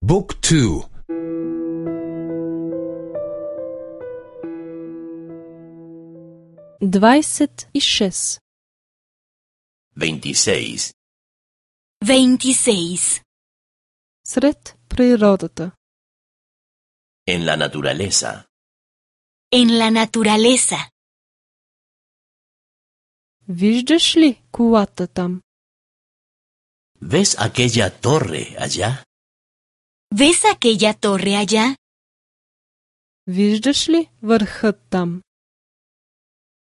Book 2. 26. 26. 26. Сред природата. En la naturaleza. En la naturaleza. Виждаш ли колата там? ¿Ves aquella torre allá? ¿Ves aquella torre allá? Виждаш ли върхът там?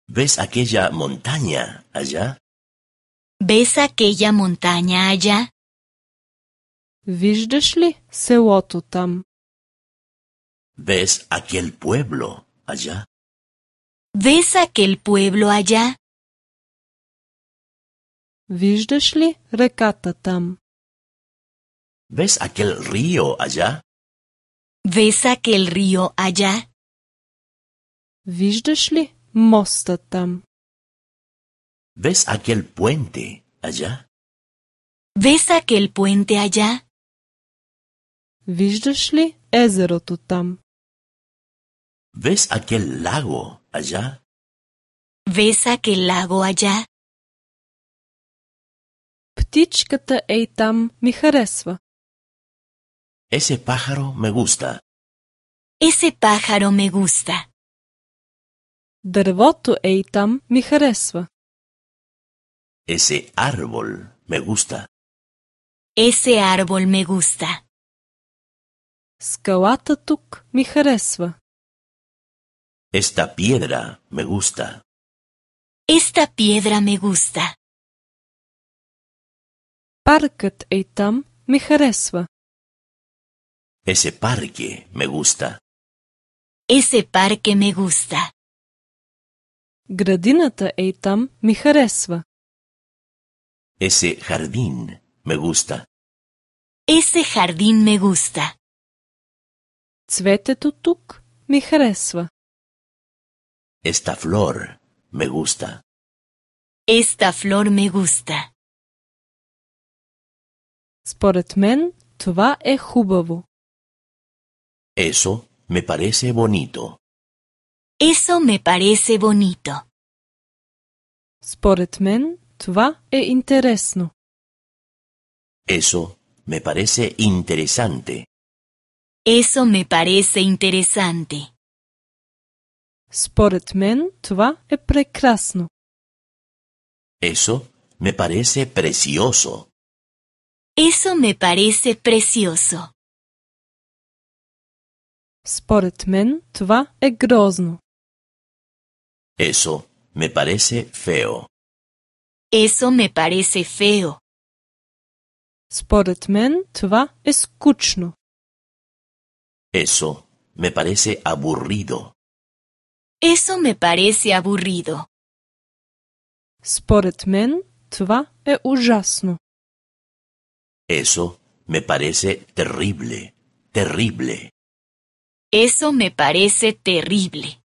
¿Ves aquella montaña allá? ¿Ves aquella montaña allá? Виждаш ли селото там? ¿Ves aquel pueblo allá? ¿Ves aquel pueblo allá? Виждаш ли реката там? ¿Ves aquel río allá? ¿Ves aquel río allá? Виждаш ли моста там? ¿Ves aquel puente allá? ¿Ves aquel puente allá? Виждаш ли езерото там? ¿Ves aquel lago allá? ¿Ves aquel lago allá? Птичката ей там ми харесва. Ese pájaro me gusta. Ese pájaro me gusta. Дървото ей там ми харесва. Ese árbol me gusta. Ese árbol me gusta. Скалата тук ми харесва. Esta piedra me gusta. Esta piedra me gusta. Паркът ей там ми харесва. Ese parque me gusta. Ese parque me gusta. Градината ей там ми харесва. Ese jardín me gusta. Ese jardín me gusta. Цветето тук ми харесва. Esta flor me gusta. Esta flor me gusta. Според мен това е хубаво. Eso me parece bonito. Eso me parece bonito. Според мен това е интересно. Eso me parece interesante. Eso me parece interesante. Според мен това е прекрасно. Eso me parece precioso. Eso me parece precioso. Според мен това е грозно. Eso me parece feo. Eso me parece feo. Според мен това е скучно. Eso me parece aburrido. Eso me parece aburrido. Според мен това е ужасно. Eso me parece terrible. Terrible. Eso me parece terrible.